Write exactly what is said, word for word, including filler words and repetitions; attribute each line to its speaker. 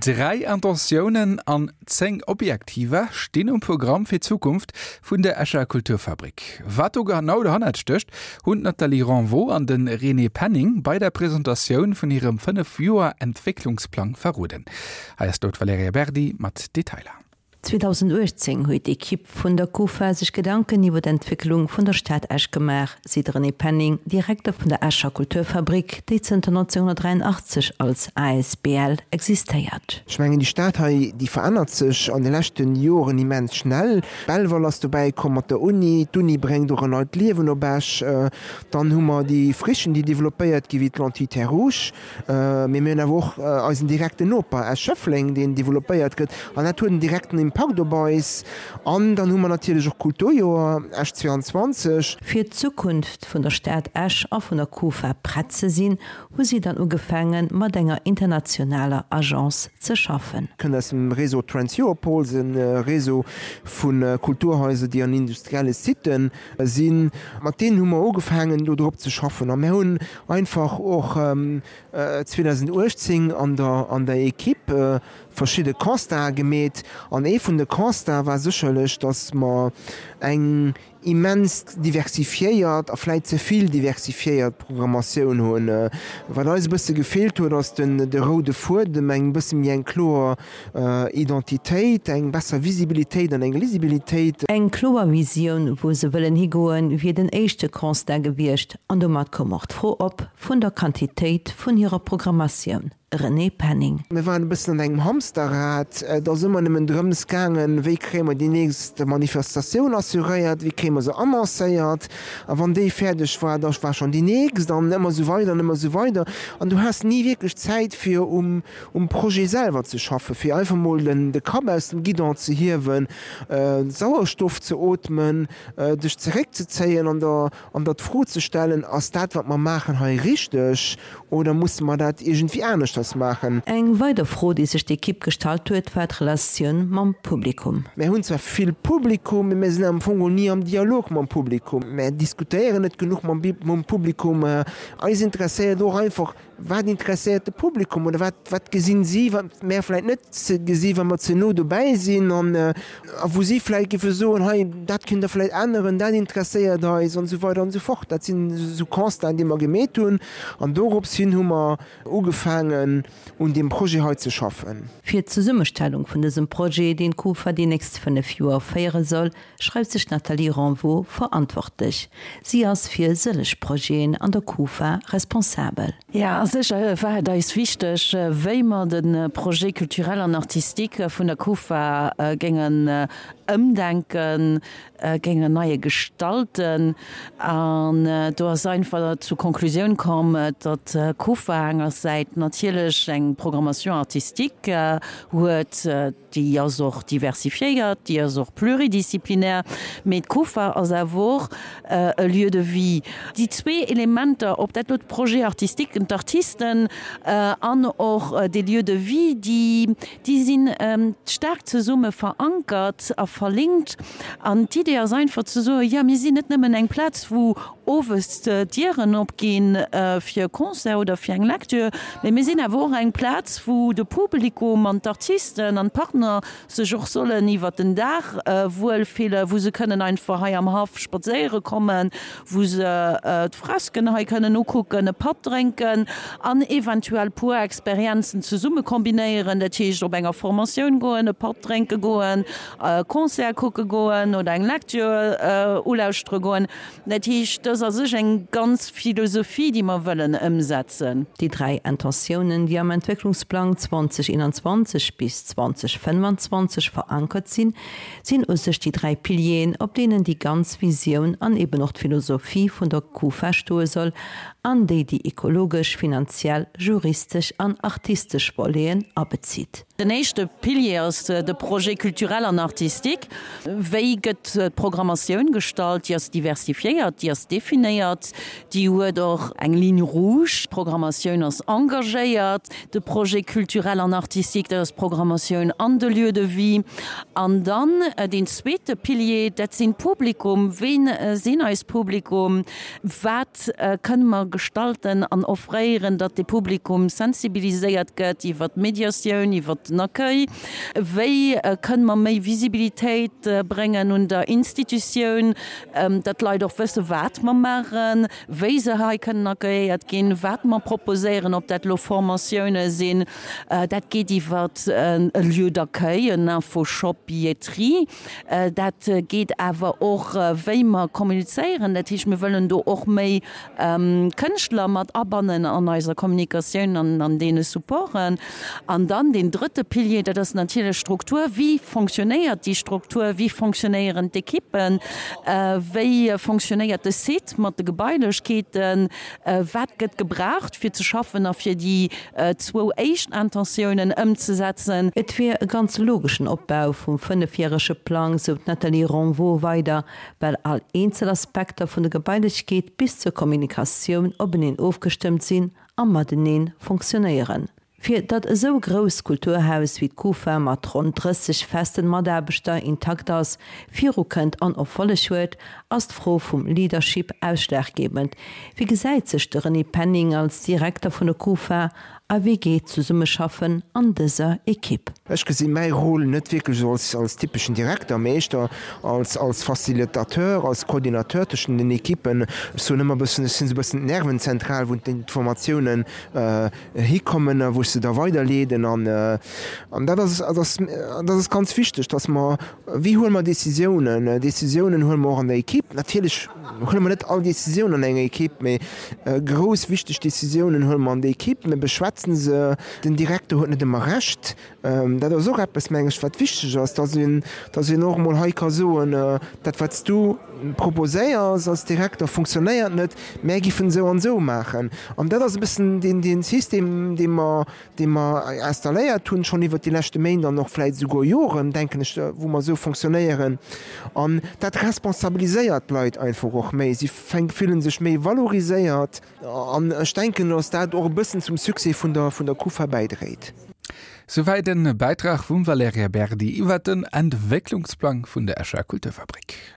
Speaker 1: Dräi Intentiounen an zéng Objektiver stinn um Programm fir d'Zukunft vun der Escher Kulturfabrik. Wat do genau dohannert stécht, hunn d'Nathalie Renvaux an de René Penning bei der Presentatioun vun hirem Fënnef-Joer-Entwécklungsplang verroden. Hei ass do d'Valerija Berdi mat Detailer.
Speaker 2: zweedausendachtzéng huet d'Ekipp vun der Kufa sech Gedanken iwwer d'Entwécklung vun der Stad Esch gemaach, seet de René Penning, Direkter vun der Escher Kulturfabrik, déi zënter nonzénhunnertdräianachtzeg als asbl existéiert.
Speaker 3: Ech mengen, déi Stad hei, déi verännert sech an de leschte Joren immens schnell. Belval ass dobäi komm mat der Uni, d'Uni bréngt och en neit Liewen op Esch. Dann hu mer déi Frichen, déi developpéiert gi wéi d'Lentille Terres Rouges. Mee mir hunn awer och eisen direkten Noper Esch-Schëffleng, deen developpéiert gëtt. An dat huet en direkten Impakt op eis. An dann hu mer natierlech och d'Kulturjoer Esch zweiandzwanzeg.
Speaker 2: Fir d'Zukunft vun der Stad Esch a vun der Kufa prett ze sinn, hu si dann ugefaangen, mat enger internationaler Agence ze schaffen.
Speaker 3: Kënnt aus dem Réseau Trans-Europol, e Réseau vu Kulturhaiser, déi an industrielle Siten sinn. Mat deenen hu mer ugefaangen, do drop ze schaffen. A mir hunn einfach och zweedausenduechtzéng an der an der Equipe verschidde Constatë gemeet. An ee vun de Constatë war sécherlech, datt mer eng immens diversifiéiert a vläit ze vill diversifiéiert Programmatioun hunn. Wat eis e bësse gefeelt huet, ass den de roude Fuedem, eng bësse méi eng kloer Identitéit, eng besser Visibilitéit an eng Lisibilitéit.
Speaker 2: Eng kloer Visioun, wou se wëllen higoen, wier den éischte Constat gewiescht an domat koum och d'Fro op vun der Quantitéit vun hirer Programmatioun. René Penning.
Speaker 3: Mir waren e bëssen an engem Hamsterrad. Et ass ëmmer nëmmen drëms gaangen, wéi kréie mer déi nächst Manifestatioun assuréiert, wéi kréie mer se annoncéiert. A wann déi fäerdeg war, da war schonn déi nächst an ëmmer esou weider an ëmmer esou weider. An du has ni wierklech Zäit, fir um um Projet selwer ze schaffen, fir einfach mol den de Kapp aus dem Guidon ze hiewen, Sauerstoff ze ootmen, dech zeréckzezéien an der an der d'Fro ze stellen, Ass dat, wat mer maachen hei, richteg oder musse mer dat iergendwéi aneschters maachen?
Speaker 2: Eng weider Fro, déi sech d'Ekipp gestallt huet, war d'Relatioun mam Publikum.
Speaker 3: Mär hunn zwar vill Publikum, mee mär sinn am Fong geholl ni am Dialog mam Publikum. Mär diskutéieren net genuch mam Publikum. Eis interesséiert och einfach, Wat interesséiert de Publikum oder wat, wat gesinn si, wat mär vläicht net gesi wa mer ze no dobäi sinn an a wou si vläicht géife soen, hei dat kënnt Der vläicht änneren, dat interesséiert eis an esou weider an esou fort. Dat sinn esou Constaten, déi mer gemeet hunn an dorops hin hu mer ugefaangen un deem Projet hei ze schaffen.
Speaker 2: Fir d'Zesummestellung vun dësem Projet, deen d'Kufa déi nächst fënnef Joer féiere soll, schreift sech d'Nathalie Renvaux verantwortlech. Si ass fir sëlleg Projeten an der Kufa responsabel.
Speaker 4: Jo, a sécher war et eis wichteg, wéi mer de Projet culturel an artistique vun der Kufa géingen ëmdenken, géingen neie gestalten. An do ass einfach zur Konklusioun komm, datt d'Kufa engersäit natierlech eng Programmation artistique huet, déi ass och diversifiéiert, déi ass och pluridisciplinaire, mee d'Kufa ass awer och e Lieu de vie. Déi zwee Elementer, ob dat elo de Projet artistique, d'Artisten an och dee Lieu de vie, déi, déi si staark zesumme verankert a verlinkt. An d'Idee ass einfach ze soen, jo, mir sinn net nëmmen eng Plaz, wou owes d'Dieren opginn fir e Concert oder fir eng Lecture, mee mir sinn awer och eng Plaz, wou de Publikum an d'Artisten an d'Partner sech och sollen iwwert den Dag wuelfillen, wou se kënnen einfach hei am Haff spadséiere kommen, wou se d'Fresken hei kënnen ukucken, e Patt drénken an eventuell puer Experienzen zesumme kombinéieren, dat heescht op enger Formatioun goen, e Patt drénke goen, e Concert kucke goen oder eng Lecture ulauschtere goen. Dat heescht, dat ass a sech eng ganz Philosophie, déi mer wëllen ëmsetzen.
Speaker 2: Déi dräi Intentiounen, déi am Entwécklungsplang zwanzeg eenanzwanzeg bis zwanzeg fënnefanzwanzeg verankert sinn, sinn u sech déi dräi Pilieren, op deenen déi ganz Visioun an eben och d'Philosophie vun der Kufa stoe soll an déi déi ekologesch, finanziell, juristesch an artistesch Voleten abezitt.
Speaker 4: Den éischte Pilier ass de Projet culturel an artistique. Wéi gëtt d'Programmatioun gestallt? Déi ass diversifiéiert, déi ass definéiert, déi huet och eng Ligne rouge. D'Programmatioun ass engagéiert. De Projet culturel an artistique, dat ass d'Programmatioun an de Lieux de vie. An dann deen zweete Pilier, dat sinn d'Publikum. Ween sinn eis Publikum? Wat kënne mer gestalten an offréieren, datt de Publikum sensibiliséiert gëtt iwwert d'Mediatioun, iwwert den Accueil? Wéi kënne mer méi Visibilitéit bréngen un der Institutioun, datt d'Leit och wësse wat mer maachen, wéi se hei kënnen accueilléiert ginn, wat mer proposéieren, ob dat elo Formatioune sinn. Dat geet iwwer e Lieu d'accueil, en Infoshop Billetterie. Dat geet awer och wéi mer kommunizéieren. Dat heescht, mir wëllen do och méi Kënschtler mat abannen an eiser Kommunikatioun an an deene Supporten. An dann deen drëtte Pilier, dat ass natierlech d'Struktur. Wéi fonctionnéiert déi Struktur? Wéi fonctionnéieren d'Ekippen? Wéi fonctionnéiert de Site mat de Gebailechkeeten? Wat gëtt gebraucht fir ze schaffen a fir déi zwou éischt Intentiounen ëmzesetzen?
Speaker 2: Et wier e ganz logeschen Opbau vum fënnefjärege Plang, sou d'Nathalie Ronvaux weider, well all eenzel Aspekter vun der Gebailechkeet bis zur Kommunikatioun openeen ofgestëmmt sinn a matenee fonctionnéieren. Fir datt esou grousst Kulturhaus wéi d'Kufa mat ronn drësseg festen Mataarbechter intakt ass, virukënnt an Erfolleg huet, ass d'Fro vum Leadership ausschlaggebend. Wéi gesäit sech de René Penning als Direkter vun der Kufa a wéi geet d'Zesummeschaffen an dëser Ekipp?
Speaker 3: Ech gesi mäi Rôle net wierklech esou als, als typeschen Direkter, mee éischter als, als Facilitateur, als Coordinateur tëschent den Ekippen. Ech soen ëmmer e bëssen, ech sinn esou e bëssen d'Nervenzentral, wou d'Informatiounen hikommen a wou ech se da weiderleeden. An, an dat ass, dat ass, dat ass ganz wichteg, dass mer, wéi huele mer Decisiounen? Decisiounen huele mer och an der Ekipp. Natierlech huele mer net all Decisioun an enger Ekipp, mee grouss wichteg Decisiounen huele mer an der Ekipp, mir beschwätzen se. Den Direkter huet net ëmmer Recht. Dat ass och eppes, meng ech, wat wichteg ass, dass een, dass een och emol hei ka soen, Dat, wat s du proposéiers als Direkter, funktionéiert net, mär giffen esou an esou maachen. An dat ass e bëssen deen, dee System, dee mer, dee mer installéiert hunn, schonn iwwert déi leschte Méint an och vläicht esouguer Joren, denken ech, wou mer esou fonctionnéieren. An dat responsabiliséiert d'Leit einfach och méi. Si fille sech méi valoriséiert. An ech denken, dass dat och e bëssen zum Succès vun der, vun der Kufa bäidréit.
Speaker 1: Souwäit e Bäitrag vum Valerija Berdi iwwer den Entwécklungsplang vun der Escher Kulturfabrik.